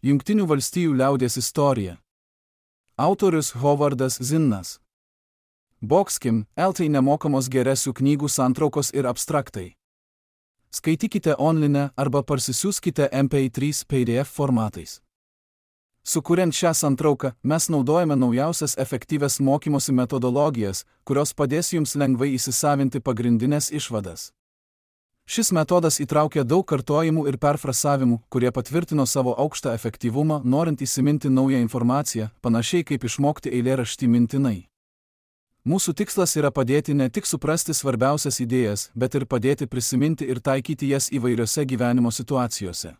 Jungtinių valstijų liaudies istorija. Autorius Hovardas Zinnas. Boxkim, LT nemokamos geresių knygų santraukos ir abstraktai. Skaitykite online arba parsisiųskite MP3 PDF formatais. Sukuriant šią santrauką, mes naudojame naujausias efektyvias mokymosi metodologijas, kurios padės jums lengvai įsisavinti pagrindinės išvadas. Šis metodas įtraukia daug kartojimų ir perfrasavimų, kurie patvirtino savo aukštą efektyvumą, norint įsiminti naują informaciją, panašiai kaip išmokti eilėraštį mintinai. Mūsų tikslas yra padėti ne tik suprasti svarbiausias idėjas, bet ir padėti prisiminti ir taikyti jas įvairiose gyvenimo situacijose.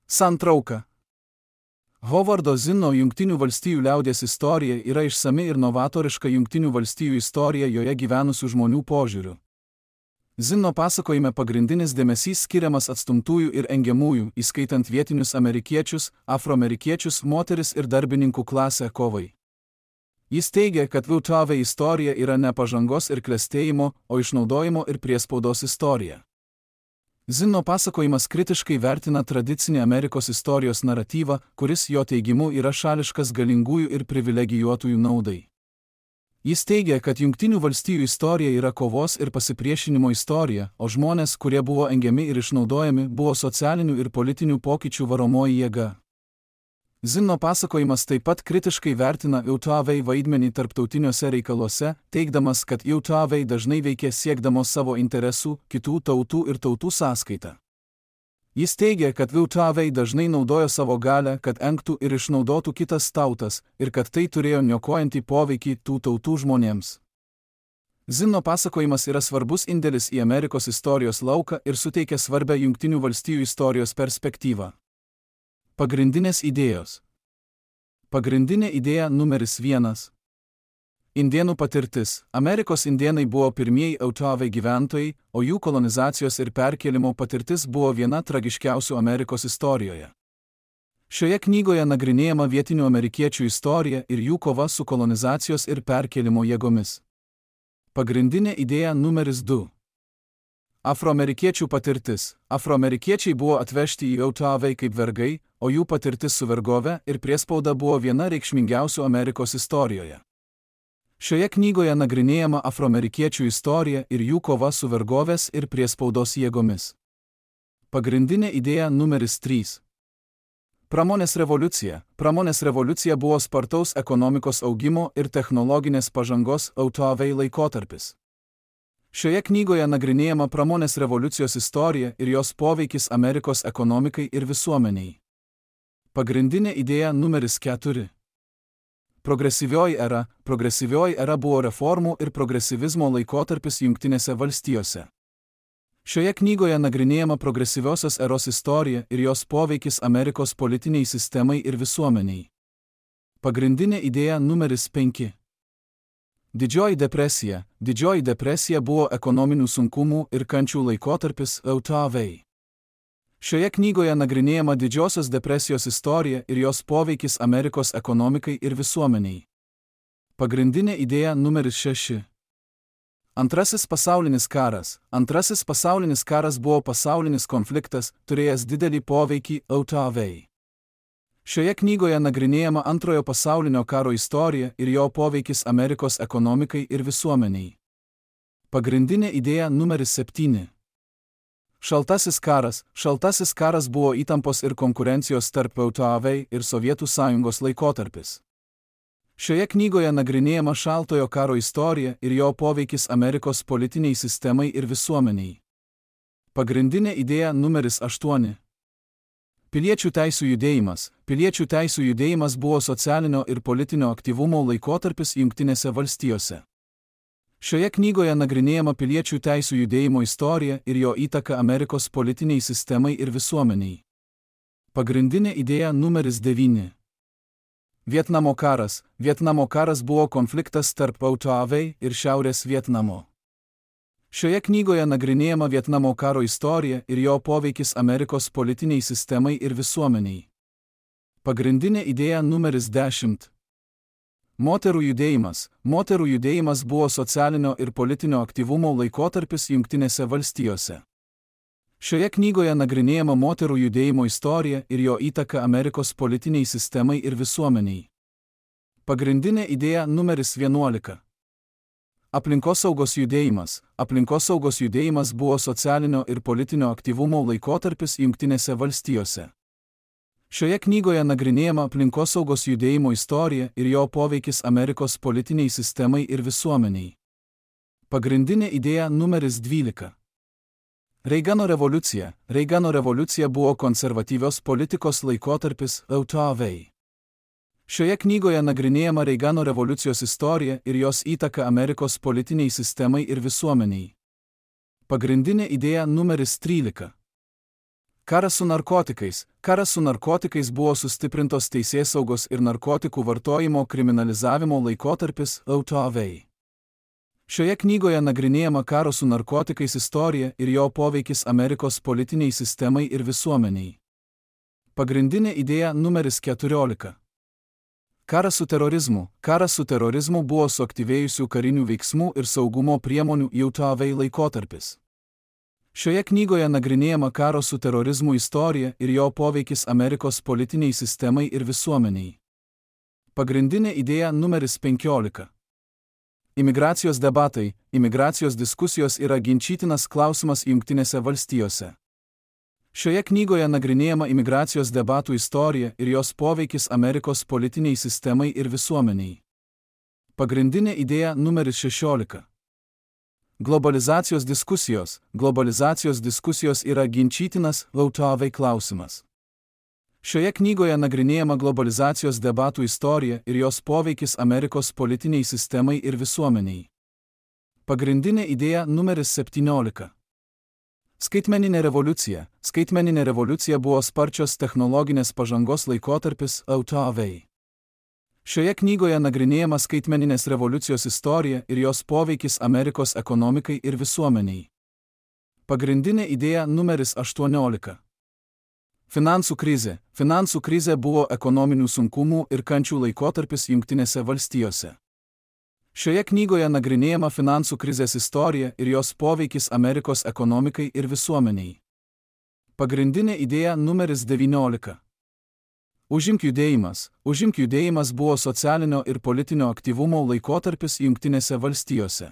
Santrauka. Hovardo Zinno Jungtinių valstijų liaudies istorija yra išsami ir novatoriška Jungtinių valstijų istorija joje gyvenusių žmonių požiūriu. Zinno pasakojime pagrindinis dėmesys skiriamas atstumtųjų ir engiamųjų, įskaitant vietinius amerikiečius, afroamerikiečius, moteris ir darbininkų klasę kovai. Jis teigia, kad VTV istorija yra ne pažangos ir klestėjimo, o išnaudojimo ir priespaudos istorija. Zinno pasakojimas kritiškai vertina tradicinį Amerikos istorijos naratyvą, kuris jo teigimu yra šališkas galingųjų ir privilegijuotųjų naudai. Jis teigia, kad Jungtinių valstijų istorija yra kovos ir pasipriešinimo istorija, o žmonės, kurie buvo engiami ir išnaudojami, buvo socialinių ir politinių pokyčių varomoji jėga. Zinno pasakojimas taip pat kritiškai vertina VTV vaidmenį tarptautiniuose reikaluose, teigdamas, kad VTV dažnai veikė siekdamos savo interesų, kitų tautų ir tautų sąskaita. Jis teigia, kad VTV dažnai naudojo savo galią, kad engtų ir išnaudotų kitas tautas, ir kad tai turėjo niokojantį poveikį tų tautų žmonėms. Zinno pasakojimas yra svarbus indėlis į Amerikos istorijos lauką ir suteikia svarbią Jungtinių valstijų istorijos perspektyvą. Pagrindinės idėjos. Pagrindinė idėja numeris 1. Indėnų patirtis. Amerikos indėnai buvo pirmieji VTV gyventojai, o jų kolonizacijos ir perkėlimo patirtis buvo viena tragiškiausių Amerikos istorijoje. Šioje knygoje nagrinėjama vietinių amerikiečių istorija ir jų kova su kolonizacijos ir perkėlimo jėgomis. Pagrindinė idėja numeris 2. Afroamerikiečių patirtis. Afroamerikiečiai buvo atvežti į VTV kaip vergai, o jų patirtis su vergove ir priespauda buvo viena reikšmingiausių Amerikos istorijoje. Šioje knygoje nagrinėjama afroamerikiečių istorija ir jų kova su vergovės ir priespaudos jėgomis. Pagrindinė idėja numeris 3. Pramonės revoliucija. Pramonės revoliucija buvo spartaus ekonomikos augimo ir technologinės pažangos VTV laikotarpis. Šioje knygoje nagrinėjama pramonės revoliucijos istorija ir jos poveikis Amerikos ekonomikai ir visuomeniai. Pagrindinė idėja numeris 4. Progresyvioji era. Progresyvioji era buvo reformų ir progresyvizmo laikotarpis Jungtinėse valstijose. Šioje knygoje nagrinėjama progresyviosios eros istorija ir jos poveikis Amerikos politiniai sistemai ir visuomeniai. Pagrindinė idėja numeris 5. Didžioji depresija. Didžioji depresija buvo ekonominių sunkumų ir kančių laikotarpis VTV. Šioje knygoje nagrinėjama Didžiosios depresijos istorija ir jos poveikis Amerikos ekonomikai ir visuomeniai. Pagrindinė idėja numeris 6. Antrasis pasaulinis karas. Antrasis pasaulinis karas buvo pasaulinis konfliktas, turėjęs didelį poveikį VTV. Šioje knygoje nagrinėjama Antrojo pasaulinio karo istorija ir jo poveikis Amerikos ekonomikai ir visuomeniai. Pagrindinė idėja numeris 7. Šaltasis karas. Šaltasis karas buvo įtampos ir konkurencijos tarp VTV ir Sovietų sąjungos laikotarpis. Šioje knygoje nagrinėjama Šaltojo karo istorija ir jo poveikis Amerikos politiniai sistemai ir visuomeniai. Pagrindinė idėja numeris 8. Piliečių teisių judėjimas. Piliečių teisių judėjimas buvo socialinio ir politinio aktyvumo laikotarpis Jungtinėse valstijose. Šioje knygoje nagrinėjama piliečių teisių judėjimo istorija ir jo įtaka Amerikos politiniai sistemai ir visuomeniai. Pagrindinė idėja numeris 9. Vietnamo karas. Vietnamo karas buvo konfliktas tarp VTV ir Šiaurės Vietnamo. Šioje knygoje nagrinėjama Vietnamo karo istorija ir jo poveikis Amerikos politiniai sistemai ir visuomeniai. Pagrindinė idėja numeris 10. Moterų judėjimas. Moterų judėjimas buvo socialinio ir politinio aktyvumo laikotarpis Jungtinėse valstijose. Šioje knygoje nagrinėjama moterų judėjimo istorija ir jo įtaka Amerikos politiniai sistemai ir visuomeniai. Pagrindinė idėja numeris 11. Aplinkosaugos judėjimas. Aplinkosaugos judėjimas buvo socialinio ir politinio aktyvumo laikotarpis Jungtinėse valstijose. Šioje knygoje nagrinėjama aplinkosaugos judėjimo istorija ir jo poveikis Amerikos politiniai sistemai ir visuomeniai. Pagrindinė idėja numeris 12. Reigano revoliucija. Reigano revoliucija buvo konservatyvios politikos laikotarpis LTV. Šioje knygoje nagrinėjama Reigano revoliucijos istorija ir jos įtaka Amerikos politiniai sistemai ir visuomeniai. Pagrindinė idėja numeris 13. Karas su narkotikais. Karas su narkotikais buvo sustiprintos teisėsaugos ir narkotikų vartojimo kriminalizavimo laikotarpis LTV. Šioje knygoje nagrinėjama karo su narkotikais istorija ir jo poveikis Amerikos politiniai sistemai ir visuomeniai. Pagrindinė idėja numeris 14. Karas su terorizmu. Karas su terorizmu buvo suaktyvėjusių karinių veiksmų ir saugumo priemonių JAV laikotarpis. Šioje knygoje nagrinėjama karo su terorizmu istorija ir jo poveikis Amerikos politiniai sistemai ir visuomeniai. Pagrindinė idėja numeris 15. Imigracijos debatai. Imigracijos diskusijos yra ginčytinas klausimas Jungtinėse valstijose. Šioje knygoje nagrinėjama imigracijos debatų istorija ir jos poveikis Amerikos politiniai sistemai ir visuomeniai. Pagrindinė idėja numeris 16. Globalizacijos diskusijos. Globalizacijos diskusijos yra ginčytinas LTV klausimas. Šioje knygoje nagrinėjama globalizacijos debatų istorija ir jos poveikis Amerikos politiniai sistemai ir visuomeniai. Pagrindinė idėja numeris 17. Skaitmeninė revoliucija. Skaitmeninė revoliucija buvo sparčios technologinės pažangos laikotarpis LTV. Šioje knygoje nagrinėjama skaitmeninės revoliucijos istorija ir jos poveikis Amerikos ekonomikai ir visuomeniai. Pagrindinė idėja numeris 18. Finansų krizė. Finansų krizė buvo ekonominių sunkumų ir kančių laikotarpis Jungtinėse valstijose. Šioje knygoje nagrinėjama finansų krizės istorija ir jos poveikis Amerikos ekonomikai ir visuomeniai. Pagrindinė idėja numeris 19. Užimk judėjimas. Užimk judėjimas buvo socialinio ir politinio aktyvumo laikotarpis Jungtinėse valstijose.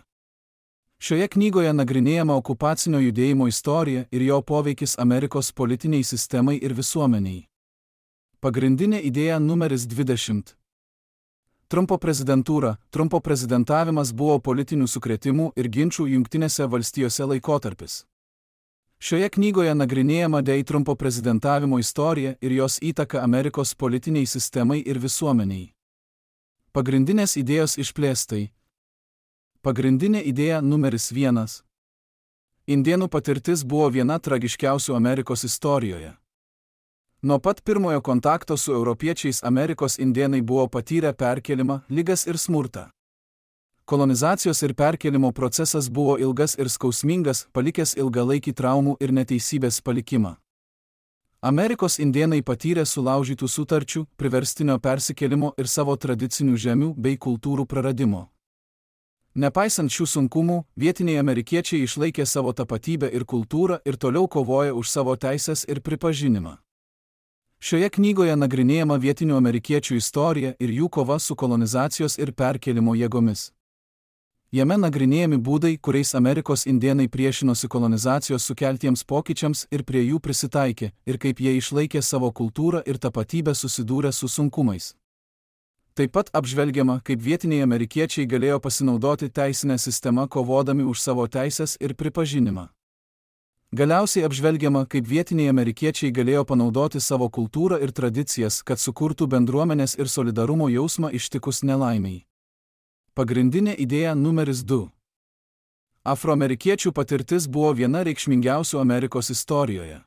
Šioje knygoje nagrinėjama okupacinio judėjimo istorija ir jo poveikis Amerikos politiniai sistemai ir visuomeniai. Pagrindinė idėja numeris 20. Trumpo prezidentūra. Trumpo prezidentavimas buvo politinių sukrėtimų ir ginčų Jungtinėse valstijose laikotarpis. Šioje knygoje nagrinėjama Trumpo prezidentavimo istorija ir jos įtaka Amerikos politiniai sistemai ir visuomeniai. Pagrindinės idėjos išplėstai. Pagrindinė idėja numeris 1. Indėnų patirtis buvo viena tragiškiausių Amerikos istorijoje. Nuo pat pirmojo kontakto su europiečiais Amerikos indėnai buvo patyrę perkėlimą, ligas ir smurtą. Kolonizacijos ir perkėlimo procesas buvo ilgas ir skausmingas, palikęs ilgalaikį traumų ir neteisybės palikimą. Amerikos indėnai patyrė sulaužytų sutarčių, priverstinio persikėlimo ir savo tradicinių žemių bei kultūrų praradimo. Nepaisant šių sunkumų, vietiniai amerikiečiai išlaikė savo tapatybę ir kultūrą ir toliau kovoja už savo teisės ir pripažinimą. Šioje knygoje nagrinėjama vietinių amerikiečių istorija ir jų kova su kolonizacijos ir perkėlimo jėgomis. Jame nagrinėjami būdai, kuriais Amerikos indėnai priešinosi kolonizacijos sukeltiems pokyčiams ir prie jų prisitaikė, ir kaip jie išlaikė savo kultūrą ir tapatybę susidūrę su sunkumais. Taip pat apžvelgiama, kaip vietiniai amerikiečiai galėjo pasinaudoti teisinę sistemą kovodami už savo teisės ir pripažinimą. Galiausiai apžvelgiama, kaip vietiniai amerikiečiai galėjo panaudoti savo kultūrą ir tradicijas, kad sukurtų bendruomenės ir solidarumo jausmą ištikus nelaimiai. Pagrindinė idėja numeris 2. Afroamerikiečių patirtis buvo viena reikšmingiausių Amerikos istorijoje.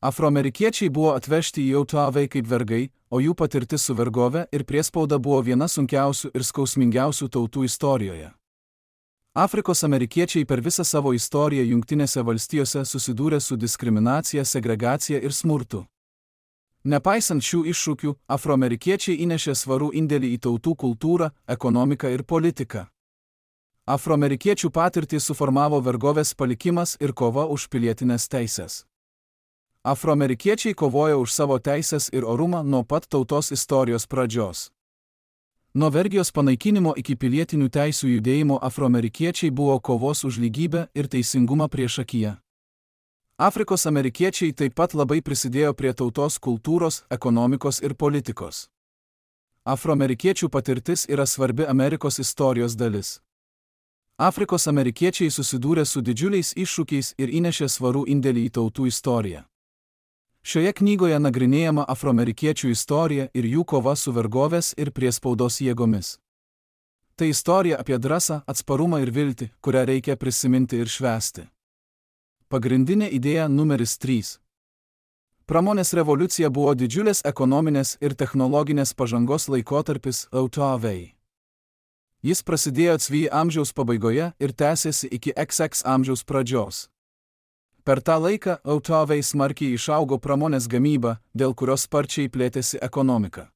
Afroamerikiečiai buvo atvežti į JAV kaip vergai, o jų patirtis su vergove ir priespauda buvo viena sunkiausių ir skausmingiausių tautų istorijoje. Afrikos amerikiečiai per visą savo istoriją Jungtinėse valstijose susidūrė su diskriminacija, segregacija ir smurtu. Nepaisant šių iššūkių, afroamerikiečiai įnešė svarų indėlį į tautų kultūrą, ekonomiką ir politiką. Afroamerikiečių patirtį suformavo vergovės palikimas ir kova už pilietinės teisės. Afroamerikiečiai kovojo už savo teisės ir orumą nuo pat tautos istorijos pradžios. Nuo vergijos panaikinimo iki pilietinių teisių judėjimo afroamerikiečiai buvo kovos už lygybę ir teisingumą priešakyje. Afrikos amerikiečiai taip pat labai prisidėjo prie tautos kultūros, ekonomikos ir politikos. Afroamerikiečių patirtis yra svarbi Amerikos istorijos dalis. Afrikos amerikiečiai susidūrė su didžiuliais iššūkiais ir įnešė svarų indėlį į tautų istoriją. Šioje knygoje nagrinėjama afroamerikiečių istorija ir jų kova su vergovės ir priespaudos jėgomis. Tai istorija apie drąsą, atsparumą ir viltį, kurią reikia prisiminti ir švęsti. Pagrindinė idėja numeris 3. Pramonės revoliucija buvo didžiulės ekonominės ir technologinės pažangos laikotarpis Autoavei. Jis prasidėjo XV amžiaus pabaigoje ir tęsėsi iki XX amžiaus pradžios. Per tą laiką Autoavei smarkiai išaugo pramonės gamyba, dėl kurios sparčiai plėtėsi ekonomika.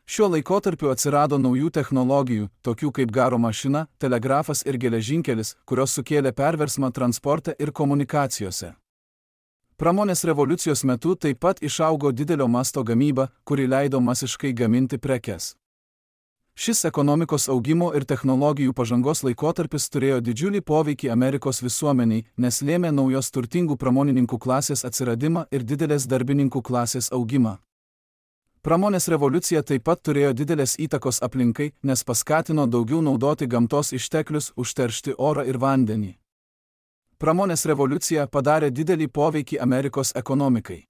Šiuo laikotarpiu atsirado naujų technologijų, tokių kaip garo mašina, telegrafas ir geležinkelis, kurios sukėlė perversmą transporte ir komunikacijose. Pramonės revoliucijos metu taip pat išaugo didelio masto gamyba, kuri leido masiškai gaminti prekes. Šis ekonomikos augimo ir technologijų pažangos laikotarpis turėjo didžiulį poveikį Amerikos visuomeniai, nes lėmė naujos turtingų pramonininkų klasės atsiradimą ir didelės darbininkų klasės augimą. Pramonės revoliucija taip pat turėjo didelės įtakos aplinkai, nes paskatino daugiau naudoti gamtos išteklius, užteršti orą ir vandenį. Pramonės revoliucija padarė didelį poveikį Amerikos ekonomikai.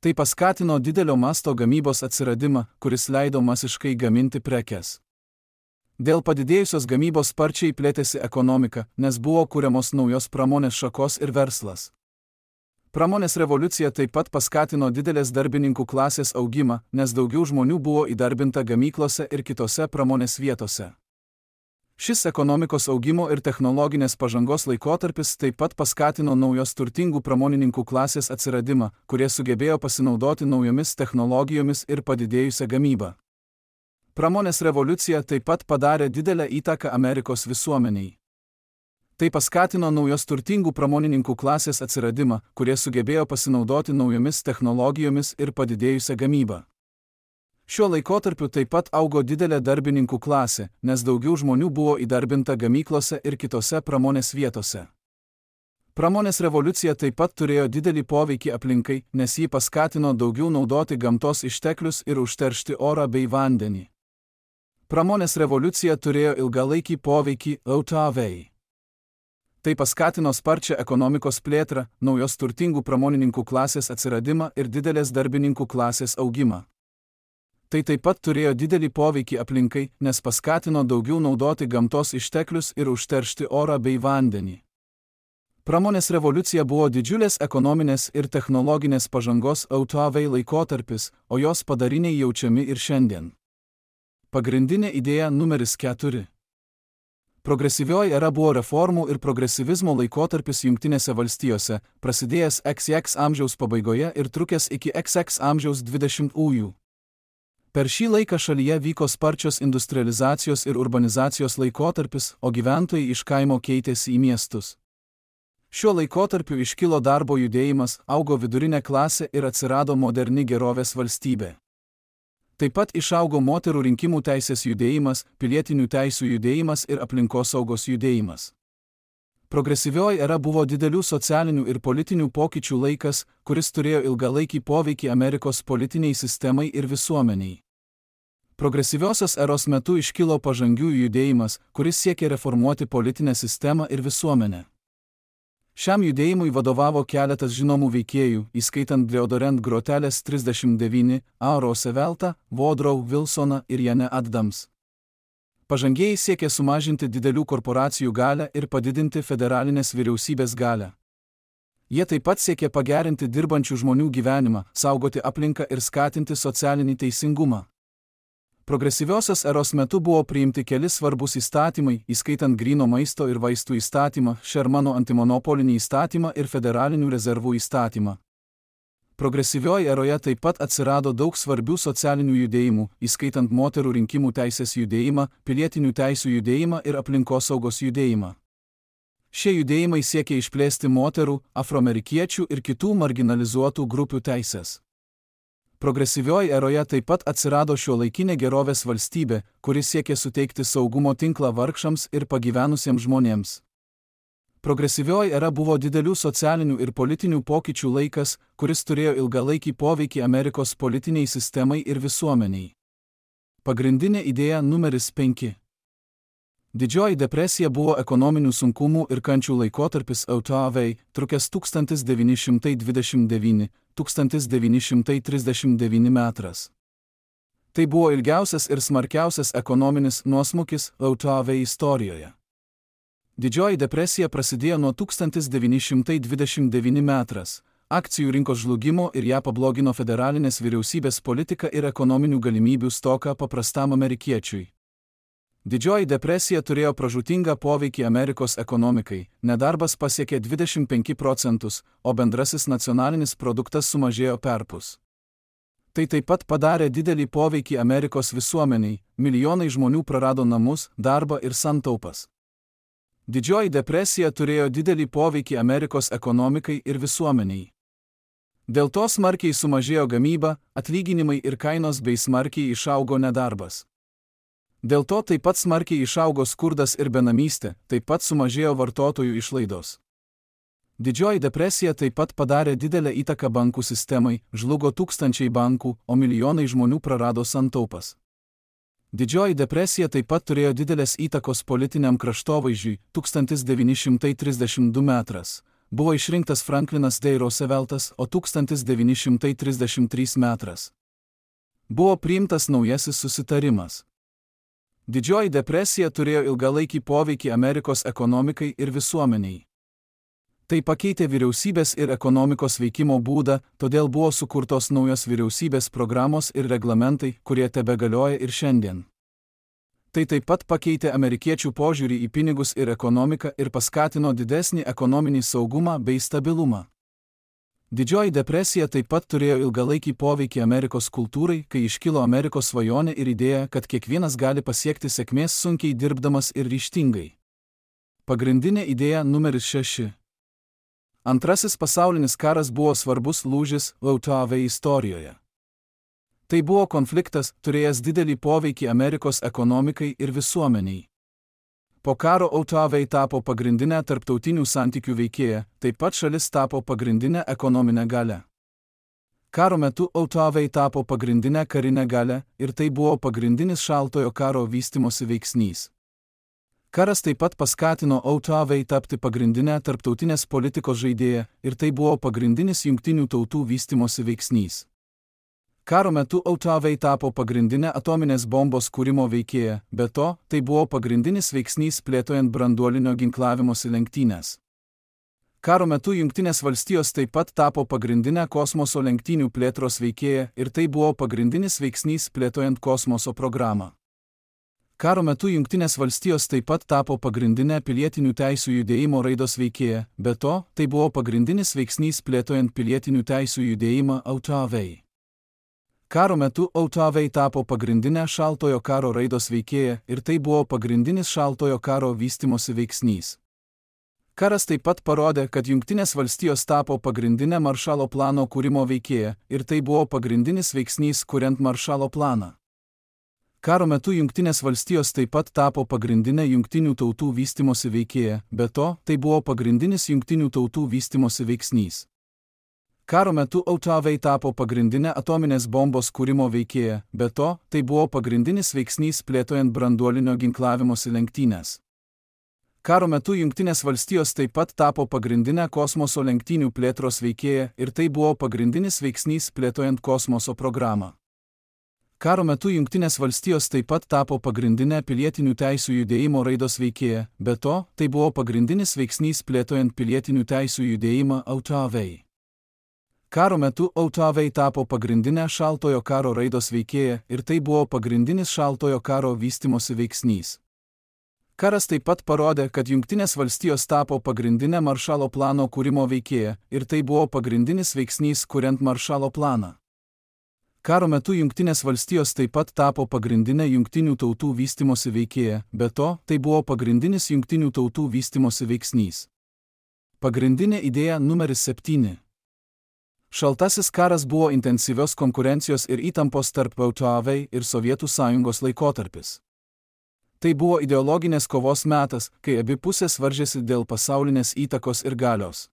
Tai paskatino didelio masto gamybos atsiradimą, kuris leido masiškai gaminti prekes. Dėl padidėjusios gamybos sparčiai plėtėsi ekonomika, nes buvo kuriamos naujos pramonės šakos ir verslas. Pramonės revoliucija taip pat paskatino didelės darbininkų klasės augimą, nes daugiau žmonių buvo įdarbinta gamyklose ir kitose pramonės vietose. Šis ekonomikos augimo ir technologinės pažangos laikotarpis taip pat paskatino naujos turtingų pramonininkų klasės atsiradimą, kurie sugebėjo pasinaudoti naujomis technologijomis ir padidėjusią gamybą. Pramonės revoliucija taip pat padarė didelę įtaką Amerikos visuomeniai. Tai paskatino naujos turtingų pramonininkų klasės atsiradimą, kurie sugebėjo pasinaudoti naujomis technologijomis ir padidėjusią gamybą. Šiuo laikotarpiu taip pat augo didelė darbininkų klasė, nes daugiau žmonių buvo įdarbinta gamyklose ir kitose pramonės vietose. Pramonės revoliucija taip pat turėjo didelį poveikį aplinkai, nes jį paskatino daugiau naudoti gamtos išteklius ir užteršti orą bei vandenį. Pramonės revoliucija turėjo ilgalaikį poveikį Autoavei. Tai paskatino sparčią ekonomikos plėtrą, naujos turtingų pramonininkų klasės atsiradimą ir didelės darbininkų klasės augimą. Tai taip pat turėjo didelį poveikį aplinkai, nes paskatino daugiau naudoti gamtos išteklius ir užteršti orą bei vandenį. Pramonės revoliucija buvo didžiulės ekonominės ir technologinės pažangos Autoavei laikotarpis, o jos padariniai jaučiami ir šiandien. Pagrindinė idėja numeris 4. Progresyvioji era buvo reformų ir progresyvizmo laikotarpis Jungtinėse valstijose, prasidėjęs XX amžiaus pabaigoje ir trukęs iki XX amžiaus 20-ųjų. Per šį laiką šalyje vyko sparčios industrializacijos ir urbanizacijos laikotarpis, o gyventojai iš kaimo keitėsi į miestus. Šiuo laikotarpiu iškilo darbo judėjimas, augo vidurinė klasė ir atsirado moderni gerovės valstybė. Taip pat išaugo moterų rinkimų teisės judėjimas, pilietinių teisių judėjimas ir aplinkosaugos judėjimas. Progresyvioji era buvo didelių socialinių ir politinių pokyčių laikas, kuris turėjo ilgalaikį poveikį Amerikos politiniai sistemai ir visuomeniai. Progresyviosios eros metu iškilo pažangiųjų judėjimas, kuris siekė reformuoti politinę sistemą ir visuomenę. Šiam judėjimui vadovavo keletas žinomų veikėjų, įskaitant Deodorant Grotelės 39, A. Rooseveltą, Woodrow Wilsoną ir Jane Addams. Pažangieji siekė sumažinti didelių korporacijų galią ir padidinti federalinės vyriausybės galią. Jie taip pat siekė pagerinti dirbančių žmonių gyvenimą, saugoti aplinką ir skatinti socialinį teisingumą. Progresyviosios eros metu buvo priimti keli svarbus įstatymai, įskaitant gryno maisto ir vaistų įstatymą, Shermano antimonopolinį įstatymą ir federalinių rezervų įstatymą. Progresyvioje eroje taip pat atsirado daug svarbių socialinių judėjimų, įskaitant moterų rinkimų teisės judėjimą, pilietinių teisių judėjimą ir aplinkosaugos judėjimą. Šie judėjimai siekė išplėsti moterų, afroamerikiečių ir kitų marginalizuotų grupių teisės. Progresyvioje eroje taip pat atsirado šiuolaikinė gerovės valstybė, kuri siekė suteikti saugumo tinklą vargšams ir pagyvenusiems žmonėms. Progresyvioji era buvo didelių socialinių ir politinių pokyčių laikas, kuris turėjo ilgalaikį poveikį Amerikos politiniai sistemai ir visuomeniai. Pagrindinė idėja numeris 5. Didžioji depresija buvo ekonominių sunkumų ir kančių laikotarpis JAV, trukęs 1929–1939 metras. Tai buvo ilgiausias ir smarkiausias ekonominis nuosmukis JAV istorijoje. Didžioji depresija prasidėjo nuo 1929 metras, akcijų rinkos žlugimo ir ją pablogino federalinės vyriausybės politika ir ekonominių galimybių stoka paprastam amerikiečiui. Didžioji depresija turėjo pražūtingą poveikį Amerikos ekonomikai, nedarbas pasiekė 25%, o bendrasis nacionalinis produktas sumažėjo perpus. Tai taip pat padarė didelį poveikį Amerikos visuomeniai, milijonai žmonių prarado namus, darbą ir santaupas. Didžioji depresija turėjo didelį poveikį Amerikos ekonomikai ir visuomeniai. Dėl to smarkiai sumažėjo gamyba, atlyginimai ir kainos bei smarkiai išaugo nedarbas. Dėl to taip pat smarkiai išaugo skurdas ir benamystė, taip pat sumažėjo vartotojų išlaidos. Didžioji depresija taip pat padarė didelę įtaką bankų sistemai, žlugo tūkstančiai bankų, o milijonai žmonių prarado santaupas. Didžioji depresija taip pat turėjo didelės įtakos politiniam kraštovaizdžiui. 1932 metras. Buvo išrinktas Franklinas D. Rooseveltas, o 1933 metras. Buvo priimtas naujasis susitarimas. Didžioji depresija turėjo ilgalaikį poveikį Amerikos ekonomikai ir visuomeniai. Tai pakeitė vyriausybės ir ekonomikos veikimo būdą, todėl buvo sukurtos naujos vyriausybės programos ir reglamentai, kurie tebegalioja ir šiandien. Tai taip pat pakeitė amerikiečių požiūrį į pinigus ir ekonomiką ir paskatino didesnį ekonominį saugumą bei stabilumą. Didžioji depresija taip pat turėjo ilgalaikį poveikį Amerikos kultūrai, kai iškilo Amerikos svajonė ir idėja, kad kiekvienas gali pasiekti sėkmės sunkiai dirbdamas ir ryžtingai. Pagrindinė idėja numeris 6. Antrasis pasaulinis karas buvo svarbus lūžis JAV istorijoje. Tai buvo konfliktas, turėjęs didelį poveikį Amerikos ekonomikai ir visuomeniai. Po karo JAV tapo pagrindinę tarptautinių santykių veikėją, taip pat šalis tapo pagrindinę ekonominę galią. Karo metu JAV tapo pagrindinę karinę galią ir tai buvo pagrindinis šaltojo karo vystimosi veiksnys. Karas taip pat paskatino JAV tapti pagrindinę tarptautinės politikos žaidėją ir tai buvo pagrindinis jungtinių tautų vystimosi veiksnys. Karo metu JAV tapo pagrindinę atominės bombos kūrimo veikėją, be to, tai buvo pagrindinis veiksnys plėtojant branduolinio ginklavimosi lenktynės. Karo metu Jungtinės valstijos taip pat tapo pagrindinę kosmoso lenktynių plėtros veikėją ir tai buvo pagrindinis veiksnys plėtojant kosmoso programą. Karo metu Jungtinės valstijos taip pat tapo pagrindinę pilietinių teisių judėjimo raidos veikėją, be to, tai buvo pagrindinis veiksnys plėtojant pilietinių teisių judėjimą JAV. Karo metu JAV tapo pagrindinę šaltojo karo raidos veikėją ir tai buvo pagrindinis šaltojo karo vystimosi veiksnys. Karas taip pat parodė, kad Jungtinės valstijos tapo pagrindinę Maršalo plano kūrimo veikėją ir tai buvo pagrindinis veiksnys kuriant Maršalo planą. Karo metu Jungtinės valstijos taip pat tapo pagrindinę Jungtinių tautų vystimosi veikėją, be to, tai buvo pagrindinis Jungtinių tautų vystimosi veiksnys. Karo metu JAV tapo pagrindinę atominės bombos kūrimo veikėją, be to, tai buvo pagrindinis veiksnys plėtojant branduolinio ginklavimosi lenktynės. Karo metu Jungtinės valstijos taip pat tapo pagrindinę kosmoso lenktynių plėtros veikėją ir tai buvo pagrindinis veiksnys plėtojant kosmoso programą. Karo metu Jungtinės valstijos taip pat tapo pagrindinę pilietinių teisių judėjimo raidos veikėją, be to, tai buvo pagrindinis veiksnys plėtojant pilietinių teisių judėjimą JAV. Karo metu JAV tapo pagrindinę šaltojo karo raidos veikėją ir tai buvo pagrindinis šaltojo karo vystimosi veiksnys. Karas taip pat parodė, kad Jungtinės valstijos tapo pagrindinė Maršalo plano kūrimo veikėja ir tai buvo pagrindinis veiksnys kuriant Maršalo planą. Karo metu Jungtinės valstijos taip pat tapo pagrindinė Jungtinių tautų vystimosi veikėja, be to, tai buvo pagrindinis Jungtinių tautų vystimosi veiksnys. Pagrindinė idėja numeris 7. Šaltasis karas buvo intensyvios konkurencijos ir įtampos tarp VTV ir Sovietų sąjungos laikotarpis. Tai buvo ideologinės kovos metas, kai abi pusės varžėsi dėl pasaulinės įtakos ir galios.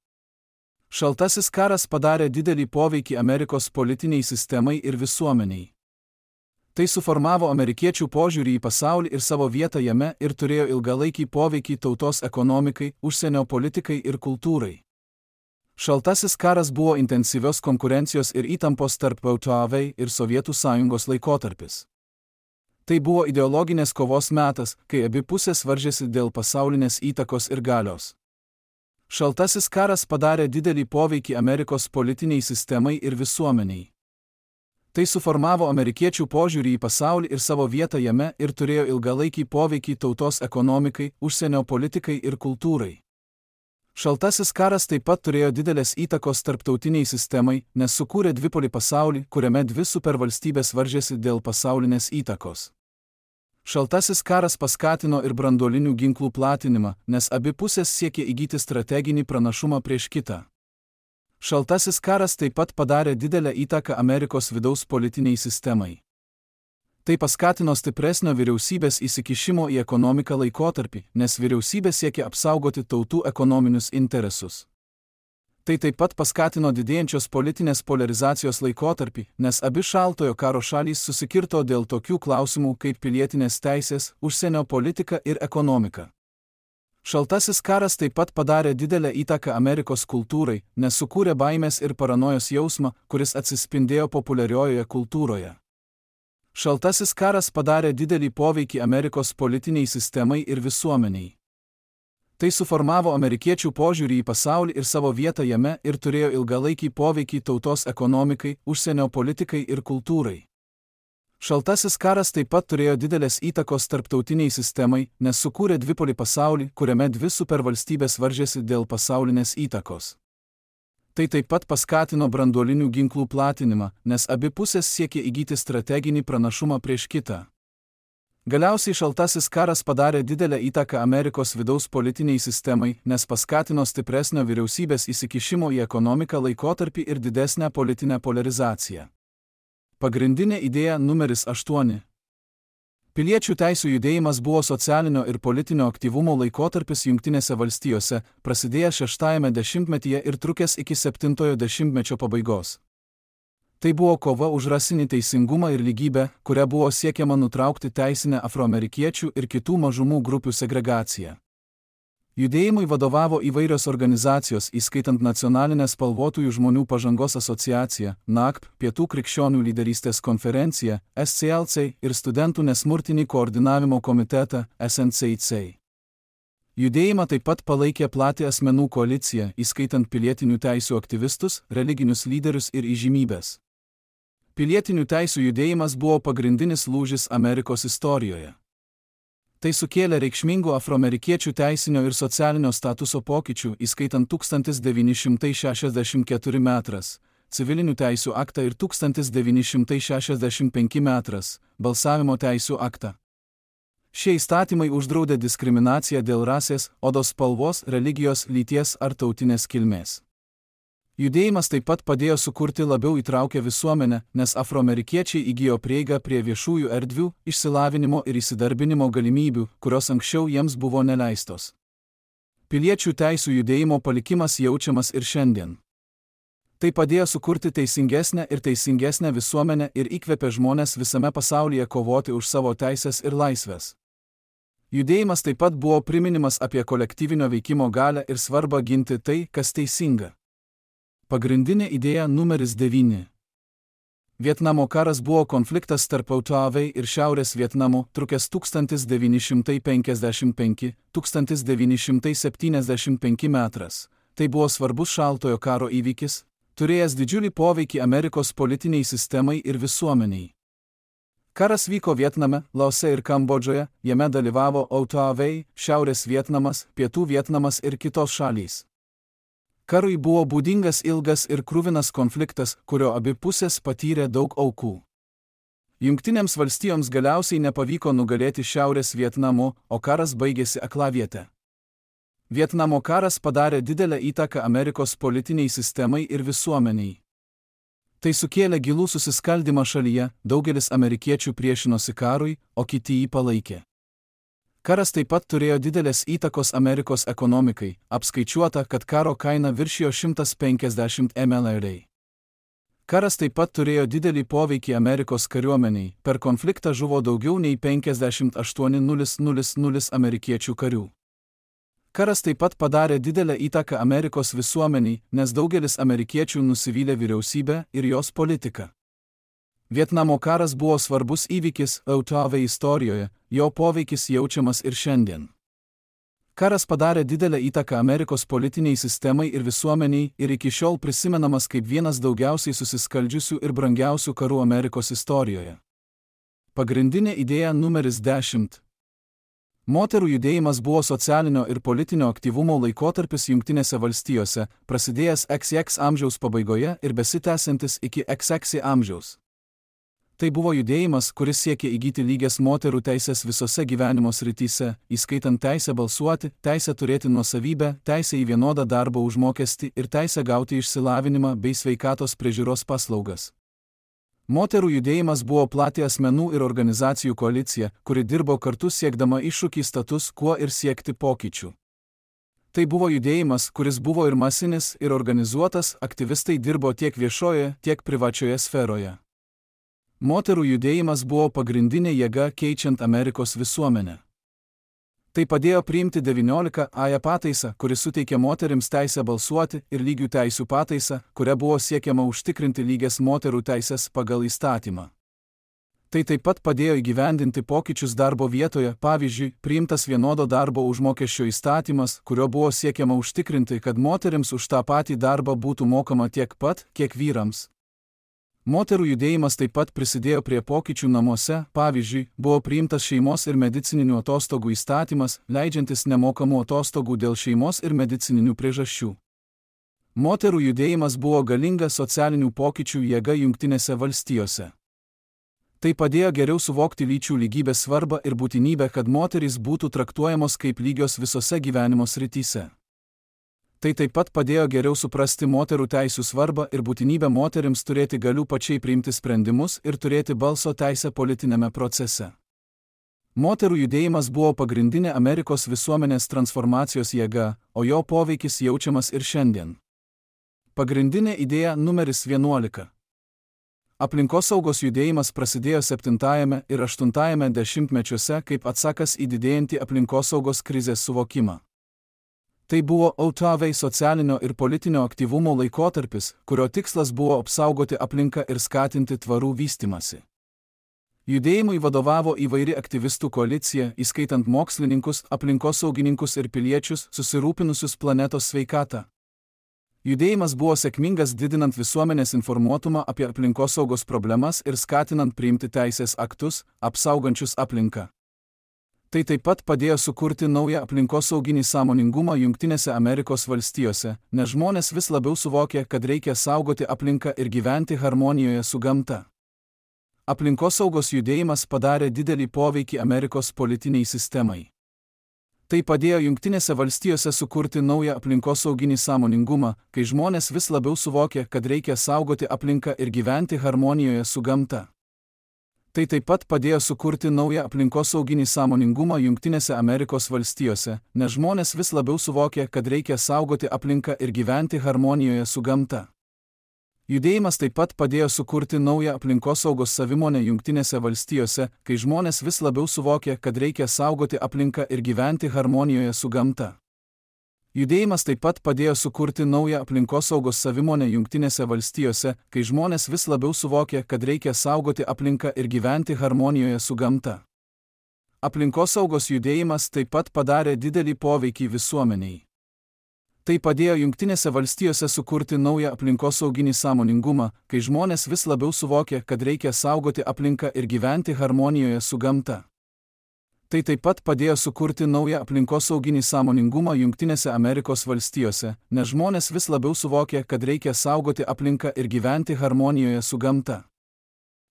Šaltasis karas padarė didelį poveikį Amerikos politiniai sistemai ir visuomeniai. Tai suformavo amerikiečių požiūrį į pasaulį ir savo vietą jame ir turėjo ilgalaikį poveikį tautos ekonomikai, užsienio politikai ir kultūrai. Šaltasis karas buvo intensyvios konkurencijos ir įtampos tarp VTV ir Sovietų sąjungos laikotarpis. Tai buvo ideologinės kovos metas, kai abi pusės varžėsi dėl pasaulinės įtakos ir galios. Šaltasis karas padarė didelį poveikį Amerikos politiniai sistemai ir visuomeniai. Tai suformavo amerikiečių požiūrį į pasaulį ir savo vietą jame ir turėjo ilgalaikį poveikį tautos ekonomikai, užsienio politikai ir kultūrai. Šaltasis karas taip pat turėjo didelės įtakos tarptautiniai sistemai, nes sukūrė dvipolį pasaulį, kuriame dvi supervalstybės varžėsi dėl pasaulinės įtakos. Šaltasis karas paskatino ir branduolinių ginklų platinimą, nes abi pusės siekė įgyti strateginį pranašumą prieš kitą. Šaltasis karas taip pat padarė didelę įtaką Amerikos vidaus politiniai sistemai. Tai paskatino stipresnio vyriausybės įsikišimo į ekonomiką laikotarpį, nes vyriausybė siekė apsaugoti tautų ekonominius interesus. Tai taip pat paskatino didėjančios politinės polarizacijos laikotarpį, nes abi šaltojo karo šalys susikirto dėl tokių klausimų kaip pilietinės teisės, užsienio politika ir ekonomika. Šaltasis karas taip pat padarė didelę įtaką Amerikos kultūrai, nes sukūrė baimės ir paranojos jausmą, kuris atsispindėjo populiariojoje kultūroje. Šaltasis karas padarė didelį poveikį Amerikos politiniai sistemai ir visuomeniai. Tai suformavo amerikiečių požiūrį į pasaulį ir savo vietą jame ir turėjo ilgalaikį poveikį tautos ekonomikai, užsienio politikai ir kultūrai. Šaltasis karas taip pat turėjo didelės įtakos tarptautiniai sistemai, nes sukūrė dvipolį pasaulį, kuriame dvi supervalstybės varžėsi dėl pasaulinės įtakos. Tai taip pat paskatino branduolinių ginklų platinimą, nes abi pusės siekė įgyti strateginį pranašumą prieš kitą. Galiausiai šaltasis karas padarė didelę įtaką Amerikos vidaus politiniai sistemai, nes paskatino stipresnio vyriausybės įsikišimo į ekonomiką laikotarpį ir didesnę politinę polarizaciją. Pagrindinė idėja numeris 8. Piliečių teisių judėjimas buvo socialinio ir politinio aktyvumo laikotarpis Jungtinėse valstijose, prasidėjęs 6-ajame dešimtmetyje ir trukęs iki 7-ojo dešimtmečio pabaigos. Tai buvo kova už rasinį teisingumą ir lygybę, kuria buvo siekiama nutraukti teisinę afroamerikiečių ir kitų mažumų grupių segregaciją. Judėjimui vadovavo įvairios organizacijos, įskaitant Nacionalinę spalvotųjų žmonių pažangos asociaciją, NACP, Pietų krikščionių lyderystės konferenciją, SCLC ir Studentų nesmurtinį koordinavimo komitetą, SNCC. Judėjimą taip pat palaikė plati asmenų koalicija, įskaitant pilietinių teisių aktyvistus, religinius lyderius ir įžymybes. Pilietinių teisių judėjimas buvo pagrindinis lūžis Amerikos istorijoje. Tai sukėlė reikšmingų afroamerikiečių teisinio ir socialinio statuso pokyčių, įskaitant 1964 metras, civilinių teisių aktą ir 1965 metras, balsavimo teisių aktą. Šie įstatymai uždraudė diskriminaciją dėl rasės, odos spalvos, religijos, lyties ar tautinės kilmės. Judėjimas taip pat padėjo sukurti labiau įtraukę visuomenę, nes afroamerikiečiai įgijo prieigą prie viešųjų erdvių, išsilavinimo ir įsidarbinimo galimybių, kurios anksčiau jiems buvo neleistos. Piliečių teisių judėjimo palikimas jaučiamas ir šiandien. Tai padėjo sukurti teisingesnę visuomenę ir įkvėpė žmonės visame pasaulyje kovoti už savo teisės ir laisvės. Judėjimas taip pat buvo priminimas apie kolektyvinio veikimo galią ir svarbą ginti tai, kas teisinga. Pagrindinė idėja numeris 9. Vietnamo karas buvo konfliktas tarp VTV ir Šiaurės Vietnamo, trukęs 1955–1975 metras. Tai buvo svarbus šaltojo karo įvykis, turėjęs didžiulį poveikį Amerikos politiniai sistemai ir visuomeniai. Karas vyko Vietname, Laose ir Kambodžoje, jame dalyvavo Autavei, Šiaurės Vietnamas, Pietų Vietnamas ir kitos šalys. Karui buvo būdingas ilgas ir kruvinas konfliktas, kurio abi pusės patyrė daug aukų. Jungtinėms valstijoms galiausiai nepavyko nugalėti Šiaurės Vietnamo, o karas baigėsi aklaviete. Vietnamo karas padarė didelę įtaką Amerikos politiniai sistemai ir visuomeniai. Tai sukėlė gilų susiskaldymą šalyje, daugelis amerikiečių priešinosi karui, o kiti jį palaikė. Karas taip pat turėjo didelės įtakos Amerikos ekonomikai, apskaičiuota, kad karo kaina viršijo 150 MLR. Karas taip pat turėjo didelį poveikį Amerikos kariuomeniai, per konfliktą žuvo daugiau nei 58,000 amerikiečių karių. Karas taip pat padarė didelę įtaką Amerikos visuomeniai, nes daugelis amerikiečių nusivylė vyriausybę ir jos politiką. Vietnamo karas buvo svarbus įvykis Autavei istorijoje, jo poveikis jaučiamas ir šiandien. Karas padarė didelę įtaką Amerikos politiniai sistemai ir visuomeniai ir iki šiol prisimenamas kaip vienas daugiausiai susiskaldžiusių ir brangiausių karų Amerikos istorijoje. Pagrindinė idėja numeris 10. Moterų judėjimas buvo socialinio ir politinio aktyvumo laikotarpis Jungtinėse valstijose, prasidėjęs XX amžiaus pabaigoje ir besitęsiantis iki XX amžiaus. Tai buvo judėjimas, kuris siekė įgyti lygias moterų teisės visose gyvenimo srityse, įskaitant teisę balsuoti, teisę turėti nuosavybę, teisę į vienodą darbo užmokestį ir teisę gauti išsilavinimą bei sveikatos priežiūros paslaugas. Moterų judėjimas buvo plati asmenų ir organizacijų koalicija, kuri dirbo kartu siekdama iššūkį status quo ir siekti pokyčių. Tai buvo judėjimas, kuris buvo ir masinis, ir organizuotas, aktyvistai dirbo tiek viešoje, tiek privačioje sferoje. Moterų judėjimas buvo pagrindinė jėga keičiant Amerikos visuomenę. Tai padėjo priimti 19-ąją pataisą, kuri suteikė moterims teisę balsuoti, ir lygių teisių pataisą, kuria buvo siekiama užtikrinti lygias moterų teisės pagal įstatymą. Tai taip pat padėjo įgyvendinti pokyčius darbo vietoje, pavyzdžiui, priimtas vienodo darbo užmokesčio įstatymas, kurio buvo siekiama užtikrinti, kad moterims už tą patį darbą būtų mokama tiek pat, kiek vyrams. Moterų judėjimas taip pat prisidėjo prie pokyčių namuose, pavyzdžiui, buvo priimtas šeimos ir medicininių atostogų įstatymas, leidžiantis nemokamų atostogų dėl šeimos ir medicininių priežasčių. Moterų judėjimas buvo galinga socialinių pokyčių jėga Jungtinėse valstijose. Tai padėjo geriau suvokti lyčių lygybės svarbą ir būtinybę, kad moterys būtų traktuojamos kaip lygios visose gyvenimo srityse. Tai taip pat padėjo geriau suprasti moterų teisių svarbą ir būtinybę moterims turėti galių pačiai priimti sprendimus ir turėti balso teisę politinėme procese. Moterų judėjimas buvo pagrindinė Amerikos visuomenės transformacijos jėga, o jo poveikis jaučiamas ir šiandien. Pagrindinė idėja numeris 11. Aplinkosaugos judėjimas prasidėjo 7 ir 8 dešimtmečiuose kaip atsakas į didėjantį aplinkosaugos krizės suvokimą. Tai buvo Autavei socialinio ir politinio aktyvumo laikotarpis, kurio tikslas buvo apsaugoti aplinką ir skatinti tvarų vystymąsi. Judėjimui vadovavo įvairi aktyvistų koalicija, įskaitant mokslininkus, aplinkosaugininkus ir piliečius, susirūpinusius planetos sveikatą. Judėjimas buvo sėkmingas didinant visuomenės informuotumą apie aplinkosaugos problemas ir skatinant priimti teisės aktus, apsaugančius aplinką. Tai taip pat padėjo sukurti naują aplinkosauginį sąmoningumą Jungtinėse Amerikos valstijose, nes žmonės vis labiau suvokė, kad reikia saugoti aplinką ir gyventi harmonijoje su gamta. Aplinkosaugos judėjimas padarė didelį poveikį Amerikos politiniai sistemai. Tai padėjo Jungtinėse valstijose sukurti naują aplinkosauginį sąmoningumą, kai žmonės vis labiau suvokė, kad reikia saugoti aplinką ir gyventi harmonijoje su gamta. Tai taip pat padėjo sukurti naują aplinkosauginį sąmoningumą Jungtinėse Amerikos valstijose, nes žmonės vis labiau suvokė, kad reikia saugoti aplinką ir gyventi harmonijoje su gamta. Judėjimas taip pat padėjo sukurti naują aplinkosaugos savimonę Jungtinėse valstijose, kai žmonės vis labiau suvokė, kad reikia saugoti aplinką ir gyventi harmonijoje su gamta. Judėjimas taip pat padėjo sukurti naują aplinkosaugos savimonę Jungtinėse valstijose, kai žmonės vis labiau suvokė, kad reikia saugoti aplinką ir gyventi harmonijoje su gamta. Aplinkosaugos judėjimas taip pat padarė didelį poveikį visuomeniai. Tai padėjo Jungtinėse valstijose sukurti naują aplinkosauginį sąmoningumą, kai žmonės vis labiau suvokė, kad reikia saugoti aplinką ir gyventi harmonijoje su gamta. Tai taip pat padėjo sukurti naują aplinkosauginį sąmoningumą Jungtinėse Amerikos valstijose, nes žmonės vis labiau suvokė, kad reikia saugoti aplinką ir gyventi harmonijoje su gamta.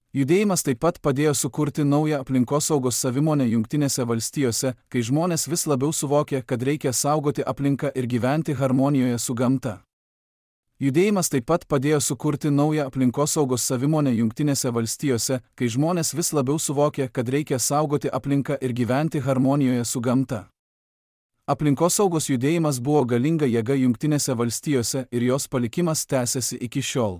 Judėjimas taip pat padėjo sukurti naują aplinkosaugos savimonę Jungtinėse valstijose, kai žmonės vis labiau suvokė, kad reikia saugoti aplinką ir gyventi harmonijoje su gamta. Judėjimas taip pat padėjo sukurti naują aplinkosaugos savimonę Jungtinėse valstijose, kai žmonės vis labiau suvokė, kad reikia saugoti aplinką ir gyventi harmonijoje su gamta. Aplinkosaugos judėjimas buvo galinga jėga Jungtinėse valstijose ir jos palikimas tęsiasi iki šiol.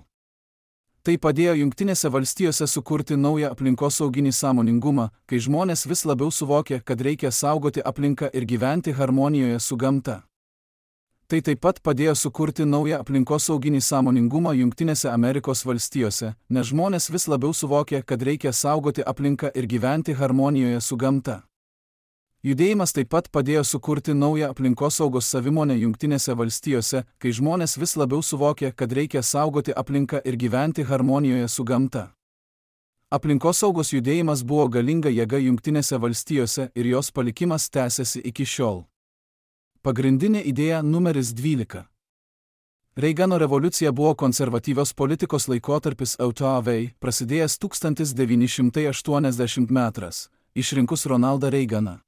Tai padėjo Jungtinėse valstijose sukurti naują aplinkosauginį sąmoningumą, kai žmonės vis labiau suvokė, kad reikia saugoti aplinką ir gyventi harmonijoje su gamta. Tai taip pat padėjo sukurti naują aplinkosauginį sąmoningumą Jungtinėse Amerikos valstijose, nes žmonės vis labiau suvokė, kad reikia saugoti aplinką ir gyventi harmonijoje su gamta. Judėjimas taip pat padėjo sukurti naują aplinkosaugos savimonę Jungtinėse valstijose, kai žmonės vis labiau suvokė, kad reikia saugoti aplinką ir gyventi harmonijoje su gamta. Aplinkosaugos judėjimas buvo galinga jėga Jungtinėse valstijose ir jos palikimas tęsiasi iki šiol. Pagrindinė idėja numeris 12. Reigano revoliucija buvo konservatyvios politikos laikotarpis EUTAV, prasidėjęs 1980 metrais, išrinkus Ronaldą Reiganą.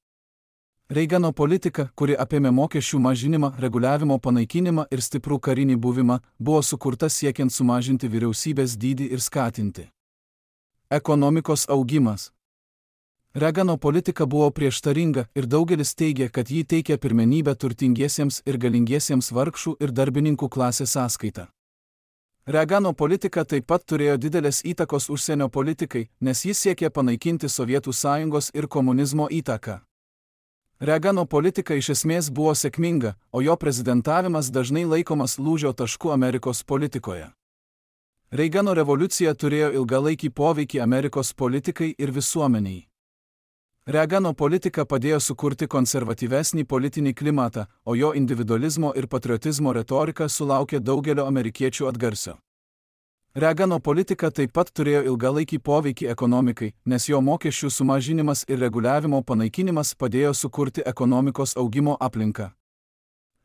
Reigano politika, kuri apėmė mokesčių mažinimą, reguliavimo panaikinimą ir stiprų karinį buvimą, buvo sukurta siekiant sumažinti vyriausybės dydį ir skatinti ekonomikos augimas. Reigano politika buvo prieštaringa ir daugelis teigė, kad ji teikia pirmenybę turtingiesiems ir galingiesiems vargšų ir darbininkų klasės sąskaita. Reigano politika taip pat turėjo didelės įtakos užsienio politikai, nes jis siekė panaikinti Sovietų sąjungos ir komunizmo įtaką. Reigano politika iš esmės buvo sėkminga, o jo prezidentavimas dažnai laikomas lūžio tašku Amerikos politikoje. Reigano revoliucija turėjo ilgalaikį poveikį Amerikos politikai ir visuomeniai. Reigano politika padėjo sukurti konservatyvesnį politinį klimatą, o jo individualizmo ir patriotizmo retorika sulaukė daugelio amerikiečių atgarsio. Reigano politika taip pat turėjo ilgalaikį poveikį ekonomikai, nes jo mokesčių sumažinimas ir reguliavimo panaikinimas padėjo sukurti ekonomikos augimo aplinką.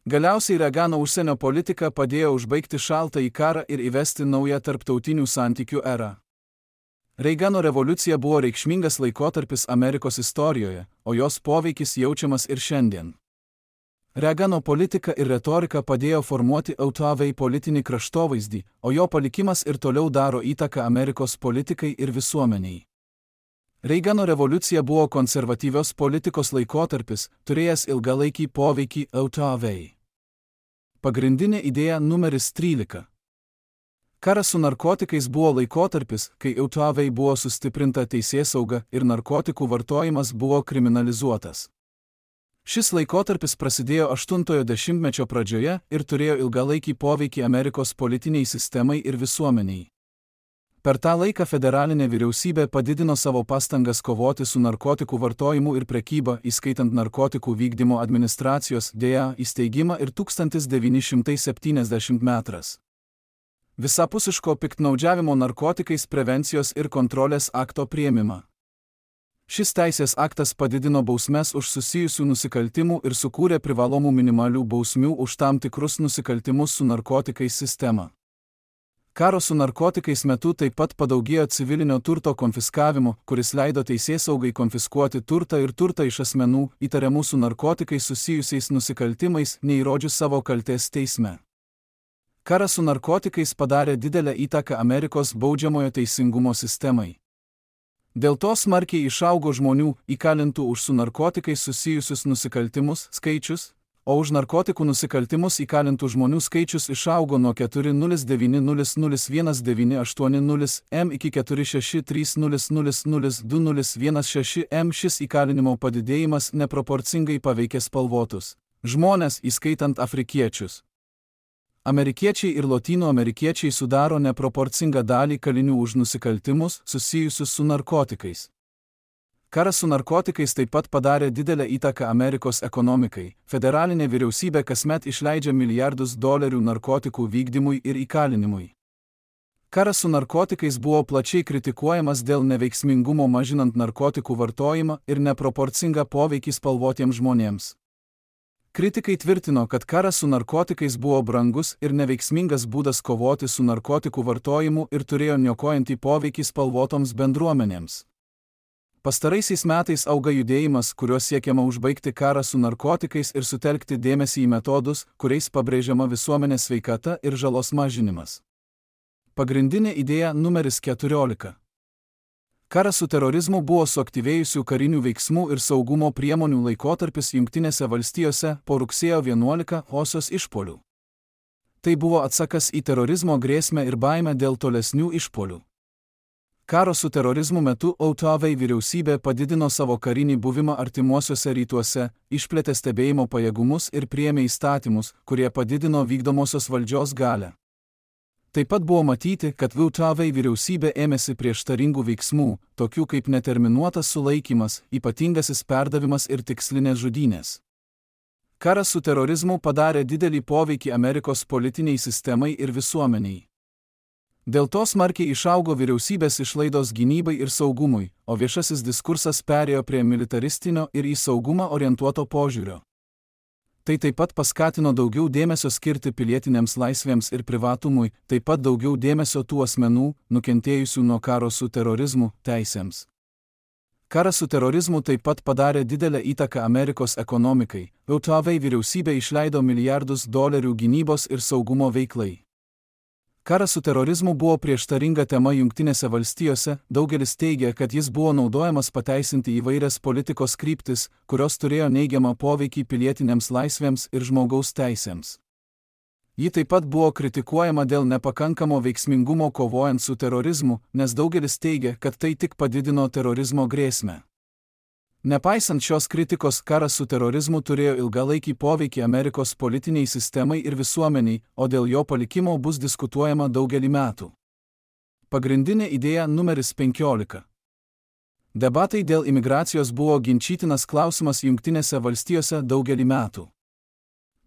Galiausiai Reigano užsienio politika padėjo užbaigti šaltąjį karą ir įvesti naują tarptautinių santykių erą. Reigano revoliucija buvo reikšmingas laikotarpis Amerikos istorijoje, o jos poveikis jaučiamas ir šiandien. Reigano politika ir retorika padėjo formuoti EUTAV politinį kraštovaizdį, o jo palikimas ir toliau daro įtaką Amerikos politikai ir visuomeniai. Reigano revoliucija buvo konservatyvios politikos laikotarpis, turėjęs ilgalaikį poveikį EUTAV. Pagrindinė idėja numeris 13. Karas su narkotikais buvo laikotarpis, kai EUTAV buvo sustiprinta teisėsauga ir narkotikų vartojimas buvo kriminalizuotas. Šis laikotarpis prasidėjo 80-ojo dešimtmečio pradžioje ir turėjo ilgalaikį poveikį Amerikos politiniai sistemai ir visuomeniai. Per tą laiką federalinė vyriausybė padidino savo pastangas kovoti su narkotikų vartojimu ir prekyba, įskaitant narkotikų vykdymo administracijos DEA įsteigimą ir 1970 metrais. Visapusiško piktnaudžiavimo narkotikais prevencijos ir kontrolės akto priėmimą. Šis teisės aktas padidino bausmes už susijusių nusikaltimų ir sukūrė privalomų minimalių bausmių už tam tikrus nusikaltimus su narkotikais sistemą. Karo su narkotikais metu taip pat padaugėjo civilinio turto konfiskavimo, kuris leido teisėsaugai konfiskuoti turtą ir turtą iš asmenų, įtariamų su narkotikais susijusiais nusikaltimais, neįrodžius savo kaltės teisme. Karas su narkotikais padarė didelę įtaką Amerikos baudžiamojo teisingumo sistemai. Dėl to smarkiai išaugo žmonių, įkalintų už su narkotikais susijusius nusikaltimus skaičius, o už narkotikų nusikaltimus įkalintų žmonių skaičius išaugo nuo 4,900,198,000 m iki 4,630,002,016 m. Šis įkalinimo padidėjimas neproporcingai paveikė spalvotus žmones, įskaitant afrikiečius. Amerikiečiai ir lotynų amerikiečiai sudaro neproporcingą dalį kalinių už nusikaltimus susijusius su narkotikais. Karas su narkotikais taip pat padarė didelę įtaką Amerikos ekonomikai. Federalinė vyriausybė kasmet išleidžia milijardus dolerių narkotikų vykdymui ir įkalinimui. Karas su narkotikais buvo plačiai kritikuojamas dėl neveiksmingumo mažinant narkotikų vartojimą ir neproporcingą poveikį spalvotiems žmonėms. Kritikai tvirtino, kad karas su narkotikais buvo brangus ir neveiksmingas būdas kovoti su narkotikų vartojimu ir turėjo niokojantį poveikį spalvotoms bendruomenėms. Pastaraisiais metais auga judėjimas, kuriuo siekiama užbaigti karą su narkotikais ir sutelkti dėmesį į metodus, kuriais pabrėžiama visuomenės sveikata ir žalos mažinimas. Pagrindinė idėja numeris 14. Karas su terorizmu buvo suaktyvėjusių karinių veiksmų ir saugumo priemonių laikotarpis Jungtinėse valstijose po rugsėjo 11-osios išpuolių. Tai buvo atsakas į terorizmo grėsmę ir baimę dėl tolesnių išpuolių. Karo su terorizmu metu JAV vyriausybė padidino savo karinį buvimą artimuosiuose rytuose, išplėtė stebėjimo pajėgumus ir priėmė įstatymus, kurie padidino vykdomosios valdžios galią. Taip pat buvo matyti, kad JAV vyriausybė ėmėsi prieštaringų veiksmų, tokių kaip neterminuotas sulaikymas, ypatingasis perdavimas ir tikslinės žudynės. Karas su terorizmu padarė didelį poveikį Amerikos politiniai sistemai ir visuomeniai. Dėl to smarkiai išaugo vyriausybės išlaidos gynybai ir saugumui, o viešasis diskursas perėjo prie militaristinio ir į saugumą orientuoto požiūrio. Tai taip pat paskatino daugiau dėmesio skirti pilietinėms laisvėms ir privatumui, taip pat daugiau dėmesio tų asmenų, nukentėjusių nuo karo su terorizmu, teisėms. Karas su terorizmu taip pat padarė didelę įtaką Amerikos ekonomikai. JAV vyriausybė išleido milijardus dolerių gynybos ir saugumo veiklai. Karas su terorizmu buvo prieštaringa tema Jungtinėse valstijose, daugelis teigia, kad jis buvo naudojamas pateisinti įvairias politikos kryptis, kurios turėjo neigiamą poveikį pilietinėms laisvėms ir žmogaus teisėms. Ji taip pat buvo kritikuojama dėl nepakankamo veiksmingumo kovojant su terorizmu, nes daugelis teigia, kad tai tik padidino terorizmo grėsmę. Nepaisant šios kritikos, karas su terorizmu turėjo ilgalaikį poveikį Amerikos politiniai sistemai ir visuomeniai, o dėl jo palikimo bus diskutuojama daugelį metų. Pagrindinė idėja numeris 15. Debatai dėl imigracijos buvo ginčytinas klausimas Jungtinėse valstijose daugelį metų.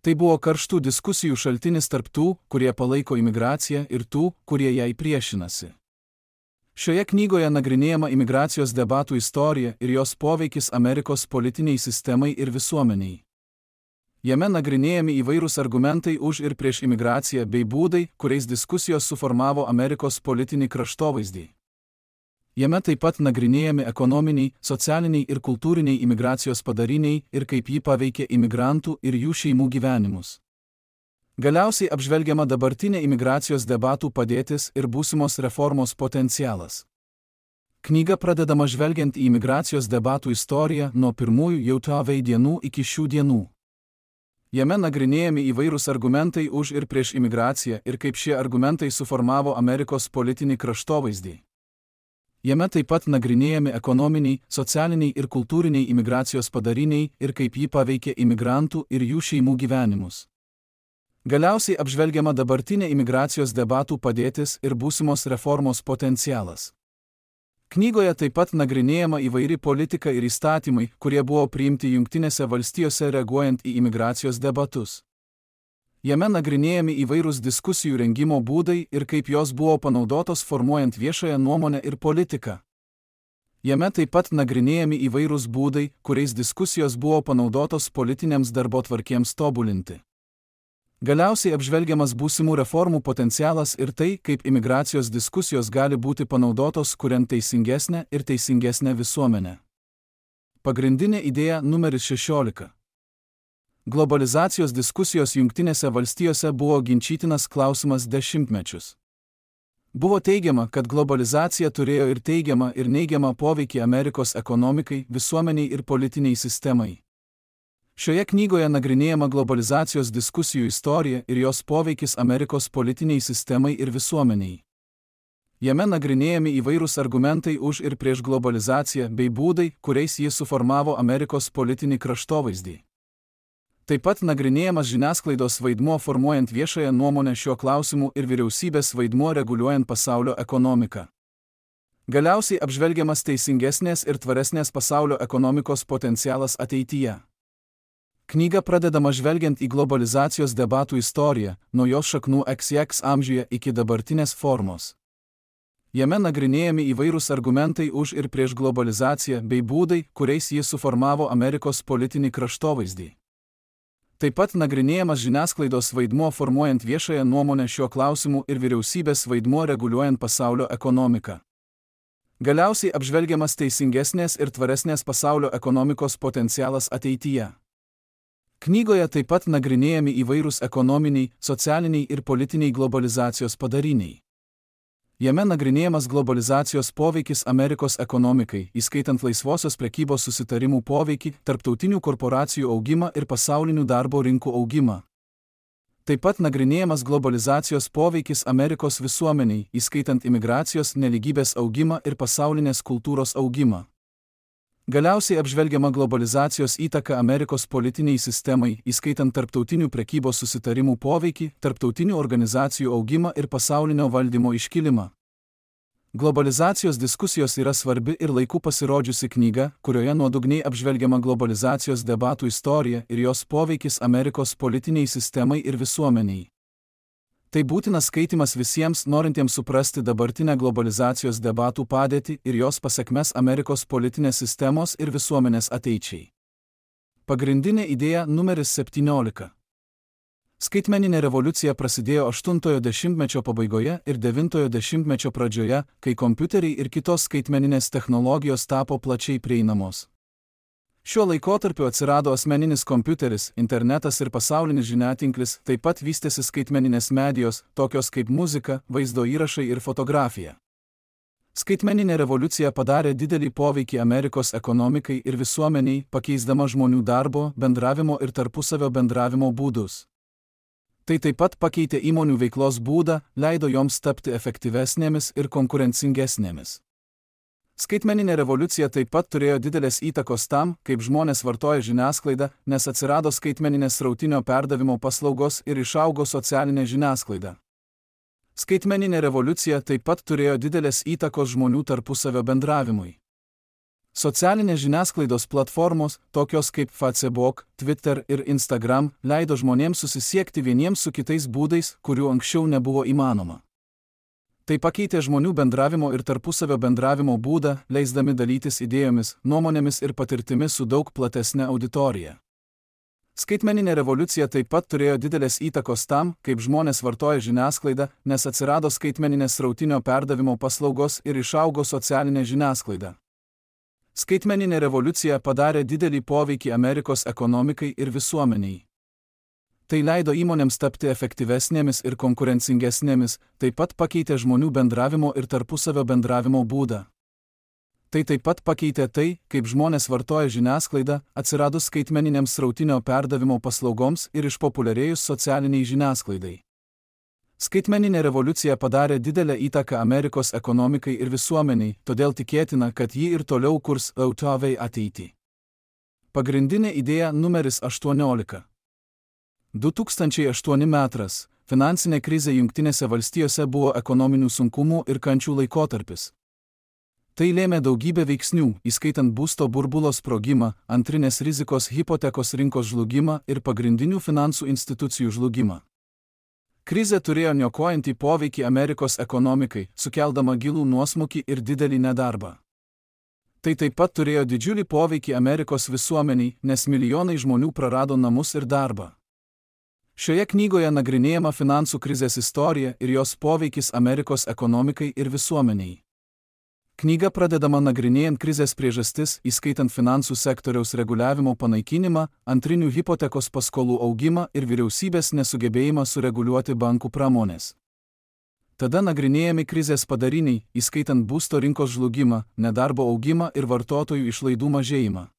Tai buvo karštų diskusijų šaltinis tarp tų, kurie palaiko imigraciją, ir tų, kurie jai priešinasi. Šioje knygoje nagrinėjama imigracijos debatų istorija ir jos poveikis Amerikos politiniai sistemai ir visuomeniai. Jame nagrinėjami įvairūs argumentai už ir prieš imigraciją bei būdai, kuriais diskusijos suformavo Amerikos politinį kraštovaizdį. Jame taip pat nagrinėjami ekonominiai, socialiniai ir kultūriniai imigracijos padariniai ir kaip ji paveikė imigrantų ir jų šeimų gyvenimus. Galiausiai apžvelgiama dabartinė imigracijos debatų padėtis ir būsimos reformos potencialas. Knyga pradedama žvelgiant į imigracijos debatų istoriją nuo pirmųjų JAV dienų iki šių dienų. Jame nagrinėjami įvairūs argumentai už ir prieš imigraciją ir kaip šie argumentai suformavo Amerikos politinį kraštovaizdį. Jame taip pat nagrinėjami ekonominiai, socialiniai ir kultūriniai imigracijos padariniai ir kaip ji paveikė imigrantų ir jų šeimų gyvenimus. Galiausiai apžvelgiama dabartinė imigracijos debatų padėtis ir būsimos reformos potencialas. Knygoje taip pat nagrinėjama įvairi politika ir įstatymai, kurie buvo priimti Jungtinėse valstijose reaguojant į imigracijos debatus. Jame nagrinėjami įvairūs diskusijų rengimo būdai ir kaip jos buvo panaudotos formuojant viešąją nuomonę ir politiką. Jame taip pat nagrinėjami įvairūs būdai, kuriais diskusijos buvo panaudotos politinėms darbotvarkėms tobulinti. Galiausiai apžvelgiamas būsimų reformų potencialas ir tai, kaip imigracijos diskusijos gali būti panaudotos kuriant teisingesnę ir teisingesnę visuomenę. Pagrindinė idėja numeris 16. Globalizacijos diskusijos Jungtinėse valstijose buvo ginčytinas klausimas dešimtmečius. Buvo teigiama, kad globalizacija turėjo ir teigiamą ir neigiamą poveikį Amerikos ekonomikai, visuomeniai ir politiniai sistemai. Šioje knygoje nagrinėjama globalizacijos diskusijų istorija ir jos poveikis Amerikos politiniai sistemai ir visuomeniai. Jame nagrinėjami įvairūs argumentai už ir prieš globalizaciją bei būdai, kuriais jis suformavo Amerikos politinį kraštovaizdį. Taip pat nagrinėjamas žiniasklaidos vaidmuo formuojant viešąją nuomonę šiuo klausimu ir vyriausybės vaidmuo reguliuojant pasaulio ekonomiką. Galiausiai apžvelgiamas teisingesnės ir tvaresnės pasaulio ekonomikos potencialas ateityje. Knyga pradedama žvelgiant į globalizacijos debatų istoriją, nuo jos šaknų XX amžiuje iki dabartinės formos. Jame nagrinėjami įvairūs argumentai už ir prieš globalizaciją bei būdai, kuriais jis suformavo Amerikos politinį kraštovaizdį. Taip pat nagrinėjamas žiniasklaidos vaidmuo formuojant viešąją nuomonę šiuo klausimu ir vyriausybės vaidmuo reguliuojant pasaulio ekonomiką. Galiausiai apžvelgiamas teisingesnės ir tvaresnės pasaulio ekonomikos potencialas ateityje. Knygoje taip pat nagrinėjami įvairūs ekonominiai, socialiniai ir politiniai globalizacijos padariniai. Jame nagrinėjamas globalizacijos poveikis Amerikos ekonomikai, įskaitant laisvosios prekybos susitarimų poveikį, tarptautinių korporacijų augimą ir pasaulinių darbo rinkų augimą. Taip pat nagrinėjamas globalizacijos poveikis Amerikos visuomeniai, įskaitant imigracijos, nelygybės augimą ir pasaulinės kultūros augimą. Galiausiai apžvelgiama globalizacijos įtaka Amerikos politiniai sistemai, įskaitant tarptautinių prekybos susitarimų poveikį, tarptautinių organizacijų augimą ir pasaulinio valdymo iškilimą. Globalizacijos diskusijos yra svarbi ir laiku pasirodžiusi knyga, kurioje nuodugniai apžvelgiama globalizacijos debatų istorija ir jos poveikis Amerikos politiniai sistemai ir visuomeniai. Tai būtinas skaitimas visiems norintiems suprasti dabartinę globalizacijos debatų padėtį ir jos pasekmes Amerikos politinės sistemos ir visuomenės ateičiai. Pagrindinė idėja numeris 17. Skaitmeninė revoliucija prasidėjo 8-ojo dešimtmečio pabaigoje ir 9-ojo dešimtmečio pradžioje, kai kompiuteriai ir kitos skaitmeninės technologijos tapo plačiai prieinamos. Šiuo laikotarpiu atsirado asmeninis kompiuteris, internetas ir pasaulinis žiniatinklis, taip pat vystėsi skaitmeninės medijos, tokios kaip muzika, vaizdo įrašai ir fotografija. Skaitmeninė revoliucija padarė didelį poveikį Amerikos ekonomikai ir visuomeniai, pakeisdama žmonių darbo, bendravimo ir tarpusavio bendravimo būdus. Tai taip pat pakeitė įmonių veiklos būdą, leido joms tapti efektyvesnėmis ir konkurencingesnėmis. Skaitmeninė revoliucija taip pat turėjo didelės įtakos tam, kaip žmonės vartoja žiniasklaidą, nes atsirado skaitmeninės srautinio perdavimo paslaugos ir išaugo socialinė žiniasklaida. Skaitmeninė revoliucija taip pat turėjo didelės įtakos žmonių tarpusavio bendravimui. Socialinės žiniasklaidos platformos, tokios kaip Facebook, Twitter ir Instagram, leido žmonėms susisiekti vieniems su kitais būdais, kurių anksčiau nebuvo įmanoma. Tai pakeitė žmonių bendravimo ir tarpusavio bendravimo būdą, leisdami dalytis idėjomis, nuomonėmis ir patirtimis su daug platesne auditorija. Skaitmeninė revoliucija taip pat turėjo didelės įtakos tam, kaip žmonės vartoja žiniasklaidą, nes atsirado skaitmeninės srautinio perdavimo paslaugos ir išaugo socialinė žiniasklaida. Skaitmeninė revoliucija padarė didelį poveikį Amerikos ekonomikai ir visuomeniai. Tai leido įmonėms tapti efektyvesnėmis ir konkurencingesnėmis, taip pat pakeitė žmonių bendravimo ir tarpusavio bendravimo būdą. Tai taip pat pakeitė tai, kaip žmonės vartoja žiniasklaidą, atsiradus skaitmeniniams srautinio perdavimo paslaugoms ir išpopuliarėjus socialiniai žiniasklaidai. Skaitmeninė revoliucija padarė didelę įtaką Amerikos ekonomikai ir visuomeniai, todėl tikėtina, kad ji ir toliau kurs autoviai ateitį. Pagrindinė idėja numeris 18. 2008 metas. Finansinė krizė Jungtinėse valstijose buvo ekonominių sunkumų ir kančių laikotarpis. Tai lėmė daugybę veiksnių, įskaitant būsto burbulo sprogimą, antrinės rizikos hipotekos rinkos žlugimą ir pagrindinių finansų institucijų žlugimą. Krizė turėjo niokojantį poveikį Amerikos ekonomikai, sukeldama gilų nuosmukį ir didelį nedarbą. Tai taip pat turėjo didžiulį poveikį Amerikos visuomeniai, nes milijonai žmonių prarado namus ir darbą. Šioje knygoje nagrinėjama finansų krizės istorija ir jos poveikis Amerikos ekonomikai ir visuomeniai. Knyga pradedama nagrinėjant krizės priežastis, įskaitant finansų sektoriaus reguliavimo panaikinimą, antrinių hipotekos paskolų augimą ir vyriausybės nesugebėjimą sureguliuoti bankų pramonės. Tada nagrinėjami krizės padariniai, įskaitant būsto rinkos žlugimą, nedarbo augimą ir vartotojų išlaidų mažėjimą.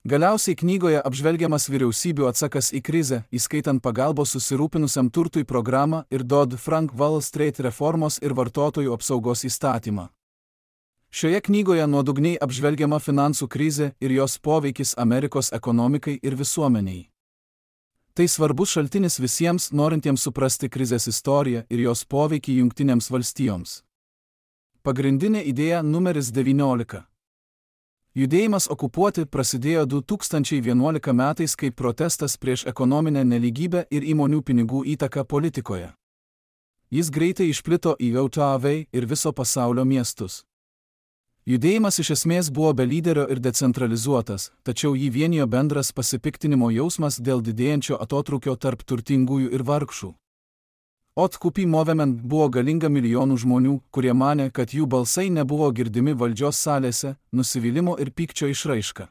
Galiausiai knygoje apžvelgiamas vyriausybių atsakas į krizę, įskaitant pagalbos susirūpinusiam turtui programą ir Dodd-Frank Wall Street reformos ir vartotojų apsaugos įstatymą. Šioje knygoje nuodugniai apžvelgiama finansų krizė ir jos poveikis Amerikos ekonomikai ir visuomeniai. Tai svarbus šaltinis visiems norintiems suprasti krizės istoriją ir jos poveikį Jungtinėms valstijoms. Pagrindinė idėja numeris 19. Judėjimas okupuoti prasidėjo 2011 metais kaip protestas prieš ekonominę nelygybę ir įmonių pinigų įtaką politikoje. Jis greitai išplito į JAV ir viso pasaulio miestus. Judėjimas iš esmės buvo be lyderio ir decentralizuotas, tačiau jį vienijo bendras pasipiktinimo jausmas dėl didėjančio atotrūkio tarp turtingųjų ir vargšų. Occupy Movement buvo galinga milijonų žmonių, kurie manė, kad jų balsai nebuvo girdimi valdžios salėse, nusivylimo ir pykčio išraiška.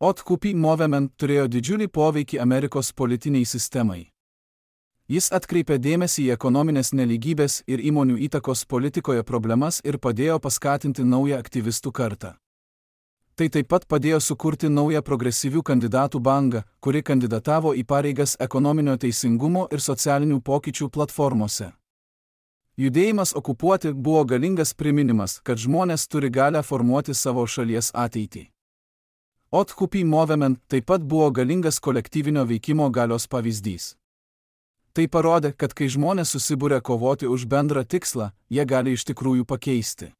Occupy Movement turėjo didžiulį poveikį Amerikos politiniai sistemai. Jis atkreipė dėmesį į ekonominės nelygybės ir įmonių įtakos politikoje problemas ir padėjo paskatinti naują aktyvistų kartą. Tai taip pat padėjo sukurti naują progresyvių kandidatų bangą, kuri kandidatavo į pareigas ekonominio teisingumo ir socialinių pokyčių platformose. Judėjimas okupuoti buvo galingas priminimas, kad žmonės turi galią formuoti savo šalies ateitį. Occupy Movement taip pat buvo galingas kolektyvinio veikimo galios pavyzdys. Tai parodė, kad kai žmonės susibūrė kovoti už bendrą tikslą, jie gali iš tikrųjų pakeisti.